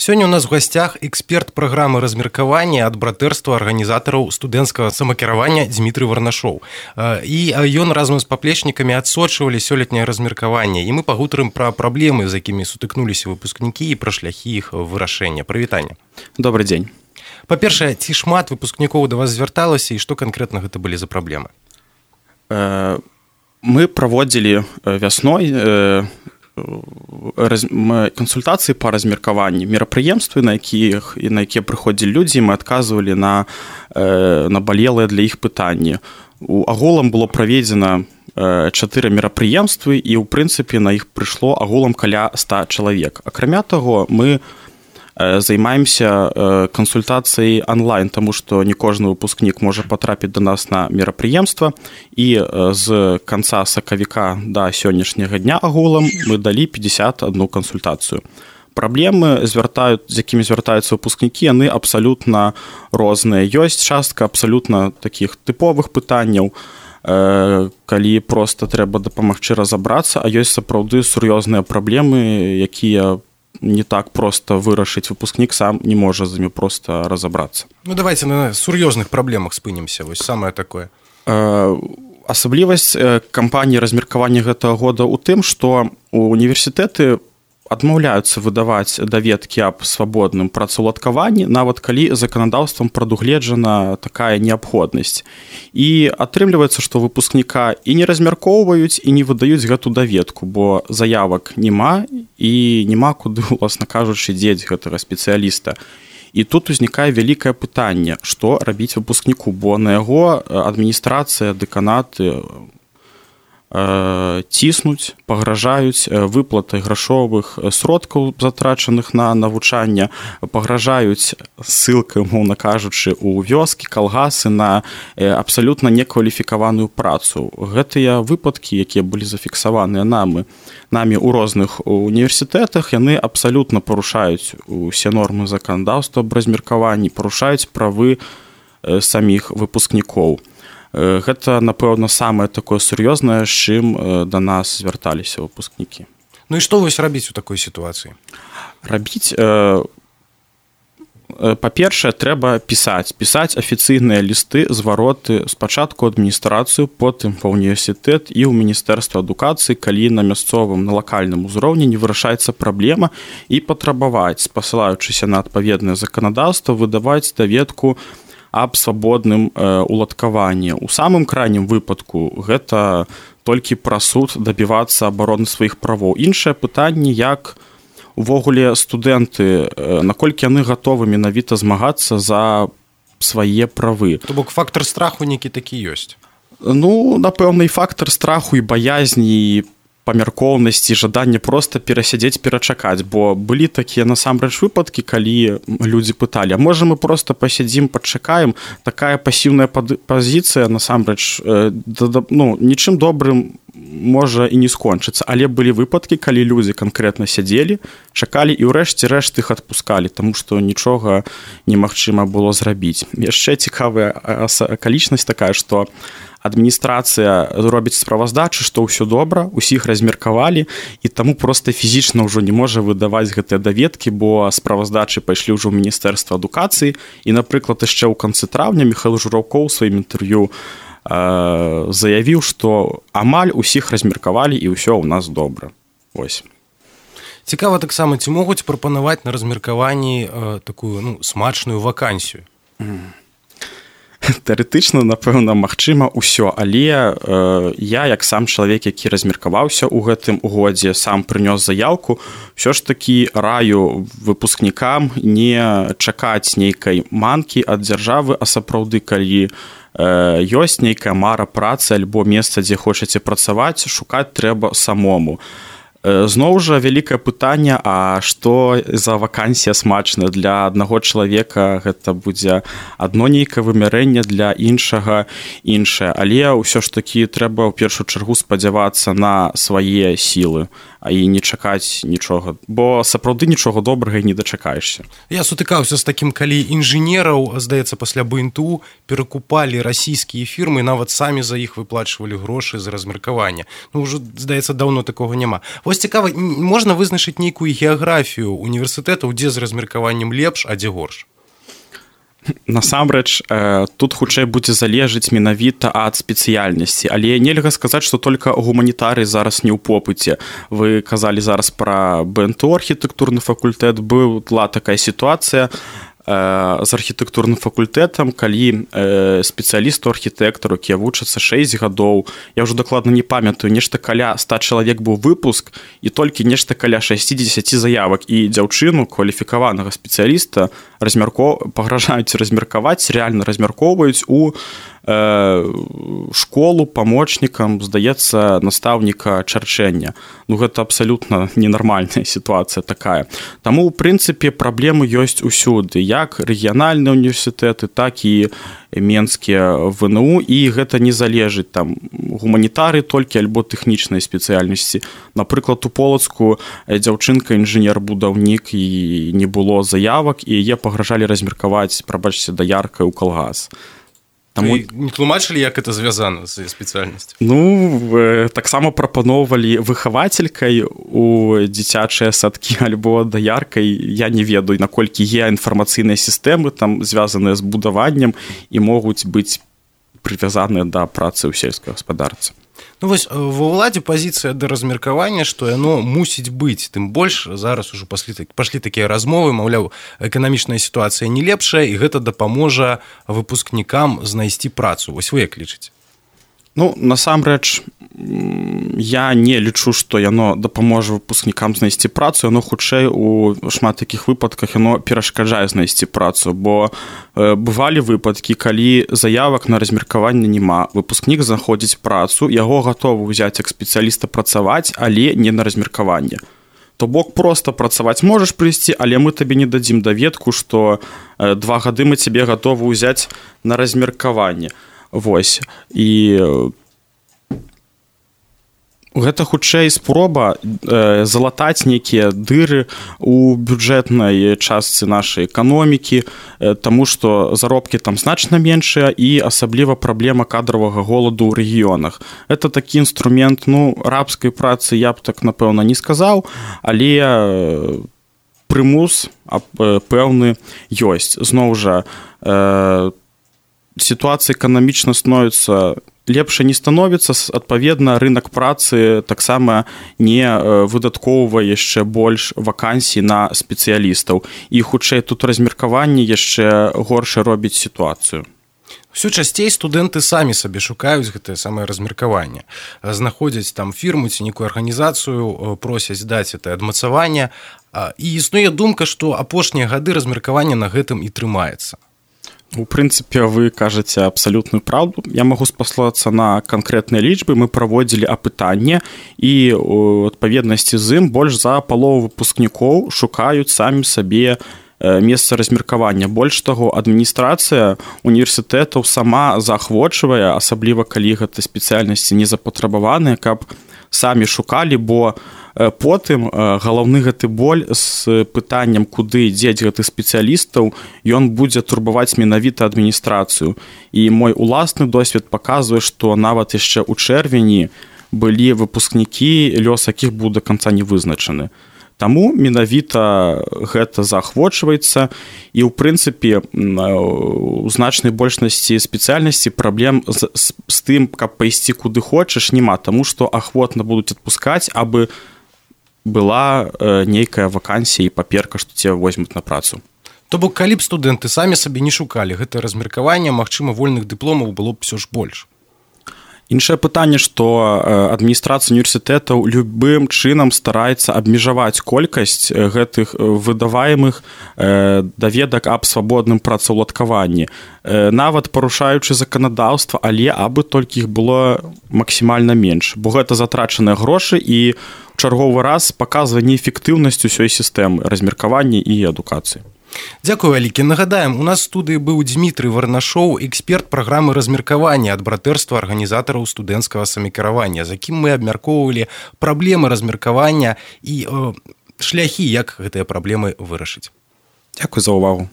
Сёння у нас в гасцях эксперт праграмы размеркавання ад братэрства арганізатараў студэнцкага самакіравання Дзмітрый Варнашоў. І ён разам з паплечнікамі адсочвалі сёлетняе размеркаванне, і мы пагутарым пра праблемы, з якімі сутыкнуліся выпускнікі і пра шляхі іх вырашэння. Прывітанне. Добрый дзень. Па-першае, ці шмат выпускнікоў да вас звярталася і што канкрэтна гэта былі за праблемы? Мы праводзілі вясной кансультацыі па размеркаванні, мерапрыемствы, на якія прыходзілі людзі, мы адказвалі на набалелыя для іх пытанні. Агулам было праведзена 4 мерапрыемствы, і ў прынцыпе на іх прыйшло агулам каля 100 чалавек. Акрамя таго, мы займаемся кансультацыяй онлайн, таму што не кожны выпускнік можа патрапіць да нас на мерапрыемства, і з канца сакавіка да сённяшняга дня агулам мы далі 51 кансультацыю. Праблемы, з якімі звяртаюцца выпускнікі, яны абсалютна розныя. Ёсць частка абсалютна такіх тыповых пытанняў, калі проста трэба дапамагчы разабрацца, а ёсць сапраўды сур'ёзныя праблемы, якія не так просто вырашыць, выпускнік сам не можа з імі просто разабрацца. Ну, давайте на сур'ёзных праблемах спынемся, вось самае такое. Асаблівасць кампаніі размеркавання гэтага года ў тым, што універсітэты адмаўляюцца выдаваць даведкі аб свабодным працаўладкаванні, нават калі заканадаўствам прадугледжана такая неабходнасць. І атрымліваецца, што выпускніка і не размяркоўваюць, і не выдаюць гэту даведку, бо заявак няма, і няма куды, уласна кажучы, дзець гэтага спецыяліста. І тут узнікае вялікае пытанне, што рабіць выпускніку, бо на яго адміністрацыя, дэканаты ціснуць, пагражаюць выплатай грашовых сродкаў, затрачаных на навучанне, пагражаюць ссылкай, умоўна кажучы, у вёскі, калгасы на абсалютна некваліфікаваную працу. Гэтыя выпадкі, якія былі зафіксаваныя намі ў розных універсітэтах, яны абсалютна парушаюць усе нормы заканадаўства аб размеркаванні, парушаюць правы саміх выпускнікоў. Гэта, напэўна, самае такое сур'ёзнае, з чым да нас звярталіся выпускнікі. Ну і што вось рабіць у такой сітуацыі? Рабіць, па-першае, трэба пісаць афіцыйныя лісты, звароты спачатку адміністрацыю, потым ва ўніверсітэт і ў Міністэрства адукацыі, калі на мясцовым, на лакальным узроўні не вырашаецца праблема, і патрабаваць, спасылаючыся на адпаведнае заканадаўства, выдаваць даведку аб свабодным уладкаванні. У самым крайнім выпадку гэта толькі праз суд дабівацца абароны сваіх правоў. Іншае пытанне, як увогуле студэнты, наколькі яны гатовы менавіта змагацца за свае правы. То бок фактар страху нейкі такі ёсць? Ну, напэўна, і фактар страху, і баязні, і памяркоўнасці, жаданне проста перасядзець, перачакаць, бо былі такія насамрэч выпадкі, калі людзі пыталі, а можа мы проста пасядзім, падчакаем. Такая пасіўная пазіцыя насамрэч нічым добрым можа і не скончыцца, але былі выпадкі, калі людзі канкрэтна сядзелі, чакалі і ўрэшце рэшт іх адпускалі, таму што нічога немагчыма было зрабіць. Яшчэ цікавая акалічнасць такая, што адміністрацыя робіць справаздачы, што ўсё добра, усіх размеркавалі, і таму проста фізічна ўжо не можа выдаваць гэтыя даведкі, бо справаздачы пайшлі ўжо ў Міністэрства адукацыі, і, напрыклад, яшчэ ў канцы траўня Міхаіл Жураўкоў у сваім інтэрв'ю заявіў, што амаль усіх размеркавалі і ўсё ў нас добра. Вось. Цікава таксама, ці могуць прапанаваць на размеркаванні такую смачную вакансію? Тэарэтычна, напэўна, магчыма ўсё, але я, як сам чалавек, які размеркаваўся ў гэтым годзе, сам прынёс заяўку, ўсё ж такі раю выпускнікам не чакаць нейкай манкі ад дзяржавы, а сапраўды, калі ёсць нейкая мара працы альбо месца, дзе хочаце працаваць, шукаць трэба самому. Зноў жа вялікае пытанне, а што за вакансія смачная? Для аднаго чалавека гэта будзе адно нейкае вымярэнне, для іншага іншае. Але ўсё ж такі трэба ў першую чаргу спадзявацца на свае сілы, а і не чакаць нічога, бо сапраўды нічога добрага і не дачакаешся. Я сутыкаўся з такім, калі інжынераў, здаецца, пасля БНТУ перакупалі расійскія фірмы, нават самі за іх выплачвалі грошы за размеркаванне. Ну, ўжо, здаецца, даўно такога няма. Вось цікава, можна вызначыць нейкую геаграфію універсітэтаў, дзе з размеркаваннем лепш, а дзе горш? Насамрэч, тут хутчэй будзе залежыць менавіта ад спецыяльнасці, але нельга сказаць, што толькі гуманітарый зараз не ў попыце. Вы казалі зараз пра БНТО архітэктурны факультэт, была такая сітуацыя з архітэктурным факультэтам, калі спецыялісту архітэктару, якія вучацца 6 гадоў, я ўжо дакладна не памятаю, нешта каля 100 чалавек быў выпуск і толькі нешта каля 60 заявак, і дзяўчыну кваліфікаванага спецыяліста пагражаюць размеркаваць, рэальна размяркоўваюць у школу памочнікам, здаецца, настаўніка чарчэння. Гэта абсалютна ненармальная сітуацыя такая. Таму, у прынцыпе, праблемы ёсць усюды, як рэгіянальныя універсітэты, так і менскія ВНУ, і гэта не залежыць там гуманітары толькі альбо тэхнічнай спецыяльнасці. Напрыклад, у Полацку дзяўчынка інжынер-будаўнік, і не было заявак, і яе пагражалі размеркаваць, прабачце, даяркай у калгас. Таму... не тлумачылі, як это звязана з спецыяльнасцю? Таксама прапаноўвалі выхавацелькай у дзіцячыя садкі альбо даяркай. Я не ведаю, наколькі інфармацыйныя сістэмы там звязаныя з будаваннем і могуць быць прывязаныя да працы ў сельскай гаспадарцы. Вось ва ўладзе пазіцыя да размеркавання, што яно мусіць быць, тым больш зараз ужо пашлі такія размовы, маўляў, эканамічная сітуацыя не лепшая, і гэта дапаможа выпускнікам знайсці працу. Вось вы як лічыце? Насамрэч, я не лічу, што яно дапаможа выпускнікам знайсці працу, яно хутчэй у шмат такіх выпадках яно перашкаджае знайсці працу, бо бывалі выпадкі, калі заявак на размеркаванне няма, выпускнік знаходзіць працу, яго гатовы ўзяць як спецыяліста працаваць, але не на размеркаванне. То бок проста працаваць можаш прыйсці, але мы табе не дадзім даведку, што 2 гады мы цябе гатовы ўзяць на размеркаванне. Вось, і гэта хутчэй спроба залатаць нейкія дыры у бюджэтнай частцы нашай эканомікі, таму што заробкі там значна меншыя і асабліва праблема кадравага голаду ў рэгіёнах. Гэта такі інструмент, рабскай працы я б так, напэўна, не сказаў, але прымус пэўны ёсць. Зноў жа, сітуацыя эканамічна становіцца лепш не становіцца, адпаведна, рынок працы таксама не выдаткоўвае яшчэ больш вакансій на спецыялістаў. І хутчэй тут размеркаванне яшчэ горш робіць сітуацыю. Усё часцей студэнты самі сабе шукаюць гэтае самае размеркаванне. Знаходзяць там фірму ці нейкую арганізацыю, просяць даць гэта адмацаванне. І існуе думка, што апошнія гады размеркавання на гэтым і трымаецца. У прынцыпе, вы кажаце абсалютную праўду. Я магу спаслацца на канкрэтныя лічбы. Мы праводзілі апытанне, і у адпаведнасці з ім больш за палову выпускнікоў шукаюць самі сабе месца размеркавання. Больш таго, адміністрацыя універсітэтаў сама заахвочвае, асабліва калі гэта спецыяльнасці не запатрабаваныя, каб самі шукалі, бо потым галаўны гэты боль з пытаннем, куды дзець гэтых спецыялістаў, ён будзе турбаваць менавіта адміністрацыю. І мой уласны досвед паказвае, што нават яшчэ ў чэрвені былі выпускнікі, лёс якіх быў да канца не вызначаны. Таму менавіта гэта заахвочваецца, і ў прынцыпе у значнай большасці спецыяльнасці праблем з тым, каб пайсці куды хочаш, няма, таму што ахвотна будуць адпускаць, абы была нейкая вакансія і паперка, што цябе возьмуць на працу. То бок, калі б студэнты самі сабе не шукалі гэтае размеркаванне, магчыма, вольных дыпломаў было б ўсё ж больш. Іншае пытанне, што адміністрацыя універсітэтаў любым чынам стараецца абмежаваць колькасць гэтых выдаваемых даведак аб свабодным працаўладкаванні, нават парушаючы заканадаўства, але абы толькі іх было максімальна менш, бо гэта затрачаныя грошы і ў чарговы раз паказвае неэфектыўнасць усёй сістэмы размеркавання і адукацыі. Дзякуй, вялікі. Нагадаем, у нас в студыі быў Дзмітрый Варнашоў, эксперт праграмы размеркавання ад братэрства арганізатараў студэнцкага самакіравання, з якім мы абмяркоўвалі праблемы размеркавання і шляхі, як гэтыя праблемы вырашыць. Дзякуй за ўвагу.